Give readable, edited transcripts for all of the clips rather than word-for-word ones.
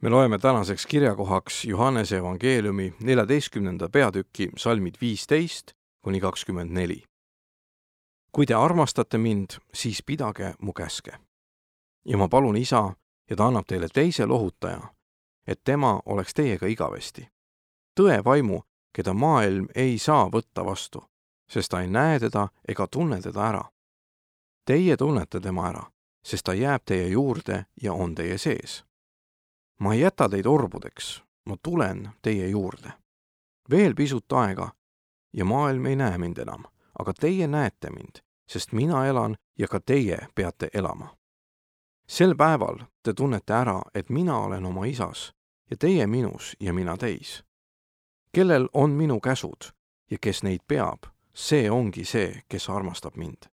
Me loeme tänaseks kirjakohaks Johannese evangeeliumi 14. peatüki salmid 15–24. Kui te armastate mind, siis pidage mu käske. Ja ma palun Isa, ja ta annab teile teise lohutaja, et tema oleks teiega igavesti. Tõe vaimu, keda maailm ei saa võtta vastu, sest ta ei näe teda ega tunne teda ära. Teie tunnete tema ära, sest ta jääb teie juurde ja on teie sees. Ma ei jäta teid orbudeks, ma tulen teie juurde. Veel pisut aega ja maailm ei näe mind enam, aga teie näete mind, sest mina elan ja ka teie peate elama. Sel päeval te tunnete ära, et mina olen oma Isas ja teie minus ja mina teis. Kellel on minu käsud ja kes neid peab, see ongi see, kes armastab mind.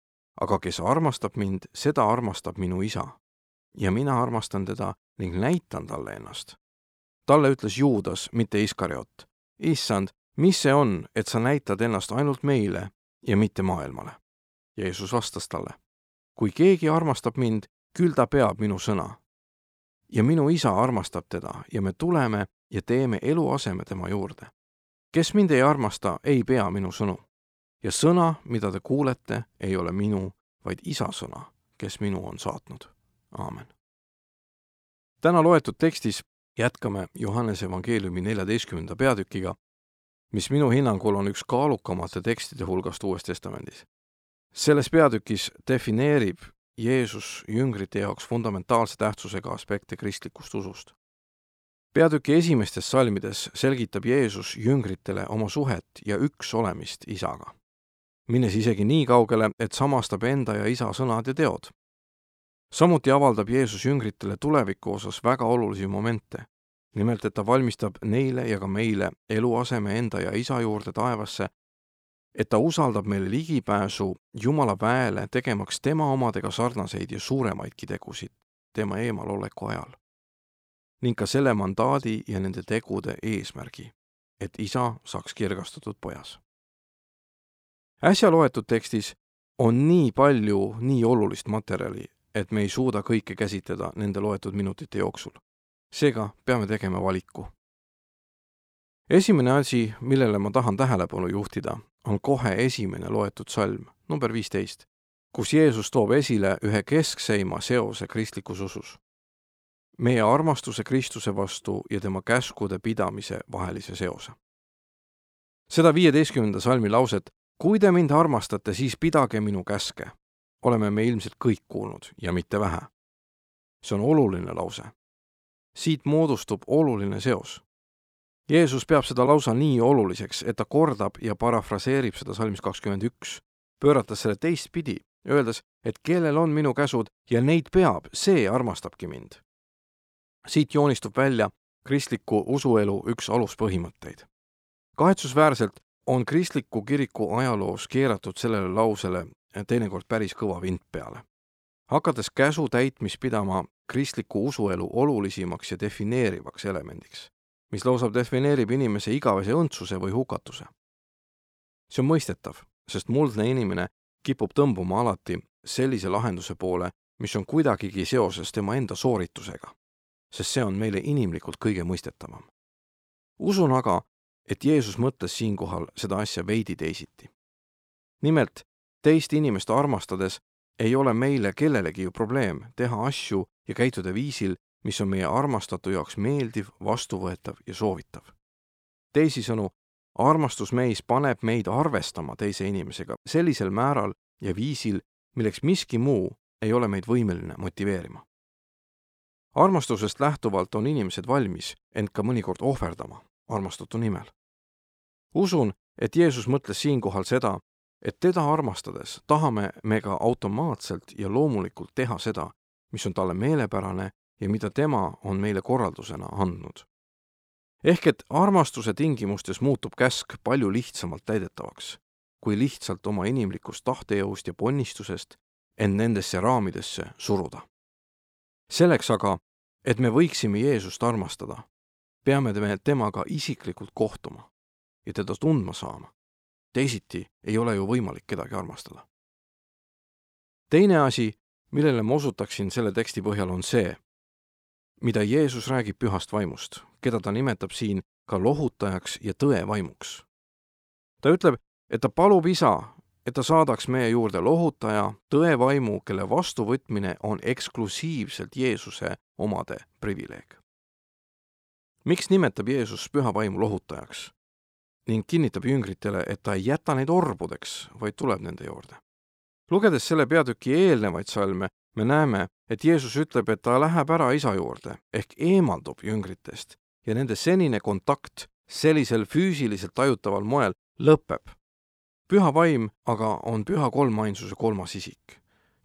Aga kes armastab mind, seda armastab minu Isa. Ja mina armastan teda ning näitan talle ennast. Talle ütles Juudas, mitte Iskariot: Issand, mis see on, et sa näitad ennast ainult meile ja mitte maailmale? Jeesus vastas talle: kui keegi armastab mind, küll ta peab minu sõna. Ja minu Isa armastab teda ja me tuleme ja teeme eluaseme tema juurde. Kes mind ei armasta, ei pea minu sõnu. Ja sõna, mida te kuulete, ei ole minu, vaid Isa sõna, kes minu on saatnud. Aamen. Täna loetud tekstis jätkame Johannese evangeeliumi 14. peatükiga, mis minu hinnangul on üks kaalukamate tekstide hulgast Uues Testamendis. Selles peatükis defineerib Jeesus jüngrite jaoks fundamentaalse tähtsusega aspekte kristlikust usust. Peatüki esimestes salmides selgitab Jeesus jüngritele oma suhet ja üks olemist Isaga, minnes isegi nii kaugele, et samastab enda ja Isa sõnad ja teod. Samuti avaldab Jeesus jüngritele tuleviku osas väga olulisi momente, nimelt et ta valmistab neile ja ka meile eluaseme enda ja Isa juurde taevasse, et ta usaldab meile ligipääsu Jumala väele, tegemaks tema omadega sarnaseid ja suuremaidki tegusid tema eemaloleku ajal, ning ka selle mandaadi ja nende tegude eesmärgi, et Isa saaks kirgastatud pojas. Äsja loetud tekstis on nii palju nii olulist materjali, et me ei suuda kõike käsitleda nende loetud minutite jooksul. Seega peame tegema valiku. Esimene asi, millele ma tahan tähelepanu juhtida, on kohe esimene loetud salm, number 15, kus Jeesus toob esile ühe keskseima seose kristlikus usus. Meie armastuse Kristuse vastu ja tema käskude pidamise vahelise seose. Seda 15. salmi lauset, kui te mind armastate, siis pidage minu käske, oleme me ilmselt kõik kuulnud ja mitte vähe. See on oluline lause. Siit moodustub oluline seos. Jeesus peab seda lausa nii oluliseks, et ta kordab ja parafraseerib seda salmis 21, pöörates selle teistpidi, öeldes, et kellel on minu käsud ja neid peab, see armastabki mind. Siit joonistub välja kristliku usuelu üks aluspõhimõtteid. Kahetsusväärselt on kristliku kiriku ajaloos keeratud sellele lausele teinekord päris kõva vint peale. Hakates käsu täitmis pidama kristliku usuelu olulisimaks ja defineerivaks elemendiks, mis lausa defineerib inimese igavese õndsuse või hukatuse. See on mõistetav, sest muldne inimene kipub tõmbuma alati sellise lahenduse poole, mis on kuidagigi seoses tema enda sooritusega, sest see on meile inimlikult kõige mõistetavam. Usun aga, et Jeesus mõtles siinkohal seda asja veidi teisiti. Nimelt, teist inimest armastades ei ole meile kellelegi ju probleem teha asju ja käituda viisil, mis on meie armastatu jaoks meeldiv, vastuvõetav ja soovitav. Teisisõnu, armastus meis paneb meid arvestama teise inimesega sellisel määral ja viisil, milleks miski muu ei ole meid võimeline motiveerima. Armastusest lähtuvalt on inimesed valmis end ka mõnikord ohverdama armastatu nimel. Usun, et Jeesus mõtles siinkohal seda, et teda armastades tahame me ka automaatselt ja loomulikult teha seda, mis on talle meelepärane ja mida tema on meile korraldusena andnud. Ehk et armastuse tingimustes muutub käsk palju lihtsamalt täidetavaks, kui lihtsalt oma inimlikust tahtejõust ja ponnistusest end nendesse raamidesse suruda. Selleks aga, et me võiksime Jeesust armastada, peame me temaga isiklikult kohtuma ja teda tundma saama. Teisiti ei ole ju võimalik kedagi armastada. Teine asi, millele ma osutaksin selle teksti põhjal, on see, mida Jeesus räägib pühast vaimust, keda ta nimetab siin ka lohutajaks ja tõe vaimuks. Ta ütleb, et ta palub isa, et ta saadaks meie juurde lohutaja, tõe vaimu, kelle vastuvõtmine on eksklusiivselt Jeesuse omade privileeg. Miks nimetab Jeesus püha vaimu lohutajaks ning kinnitab jüngritele, et ta ei jäta neid orbudeks, vaid tuleb nende juurde? Lugedes selle peatüki eelnevaid salme, me näeme, et Jeesus ütleb, et ta läheb ära isa juurde ehk eemaldub jüngritest ja nende senine kontakt sellisel füüsiliselt tajutaval moel lõpeb. Püha vaim aga on püha kolmainsuse kolmas isik,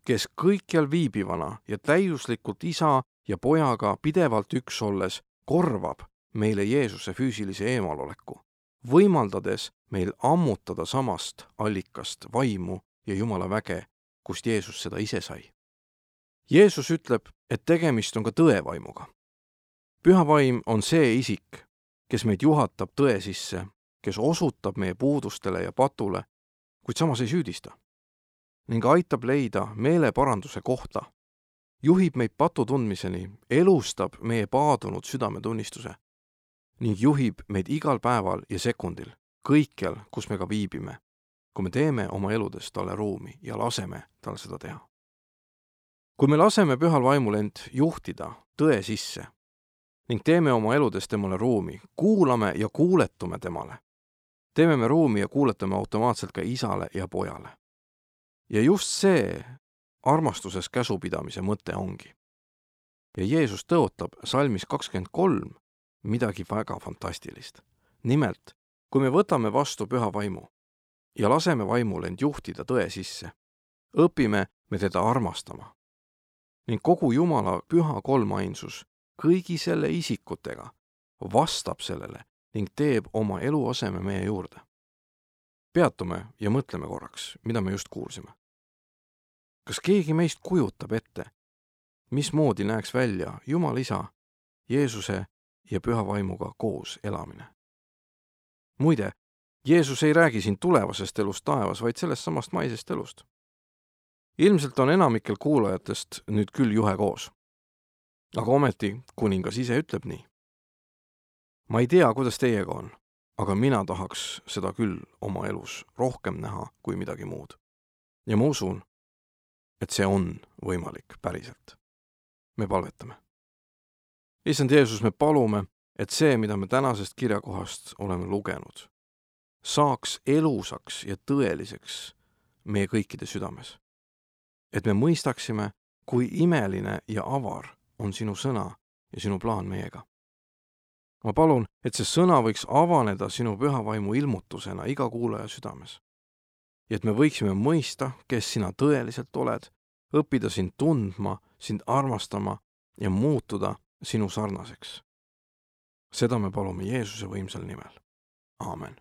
kes kõikjal viibivana ja täiuslikult isa ja pojaga pidevalt üks olles korvab meile Jeesuse füüsilise eemaloleku, võimaldades meil ammutada samast allikast vaimu ja Jumala väge, kust Jeesus seda ise sai. Jeesus ütleb, et tegemist on ka tõe vaimuga. Püha vaim on see isik, kes meid juhatab tõe sisse, kes osutab meie puudustele ja patule, kuid samas ei süüdista ning aitab leida meeleparanduse kohta, juhib meid patu tundmiseni, elustab meie paadunud südametunnistuse ning juhib meid igal päeval ja sekundil, kõikjal, kus me ka viibime, kui me teeme oma eludes talle ruumi ja laseme tal seda teha. Kui me laseme pühal vaimul end juhtida tõe sisse ning teeme oma eludes temale ruumi, kuulame ja kuuletume temale, teeme me ruumi ja kuuletame automaatselt ka isale ja pojale. Ja just see armastuses käsupidamise mõte ongi. Ja Jeesus tõotab salmis 23 midagi väga fantastilist. Nimelt, kui me võtame vastu püha vaimu ja laseme vaimul end juhtida tõe sisse, õpime me teda armastama. Ning kogu Jumala püha kolmainsus kõigi selle isikutega vastab sellele ning teeb oma eluaseme meie juurde. Peatume ja mõtleme korraks, mida me just kuulsime. Kas keegi meist kujutab ette, mismoodi näeks välja Jumal isa, Jeesuse ja püha vaimuga koos elamine? Muide, Jeesus ei räägi siin tulevasest elust taevas, vaid sellest samast maisest elust. Ilmselt on enamikel kuulajatest nüüd küll juhe koos. Aga ometi kuningas ise ütleb nii. Ma ei tea, kuidas teiega on, aga mina tahaks seda küll oma elus rohkem näha kui midagi muud. Ja ma usun, et see on võimalik päriselt. Me palvetame. Issand Jeesus, me palume, et see, mida me tänasest kirjakohast oleme lugenud, saaks elusaks ja tõeliseks meie kõikide südames. Et me mõistaksime, kui imeline ja avar on sinu sõna ja sinu plaan meiega. Ma palun, et see sõna võiks avaneda sinu püha vaimu ilmutusena iga kuulaja südames. Ja et me võiksime mõista, kes sina tõeliselt oled, õppida sind tundma, sind armastama ja muutuda sinu sarnaseks. Seda me palume Jeesuse võimsal nimel. Aamen.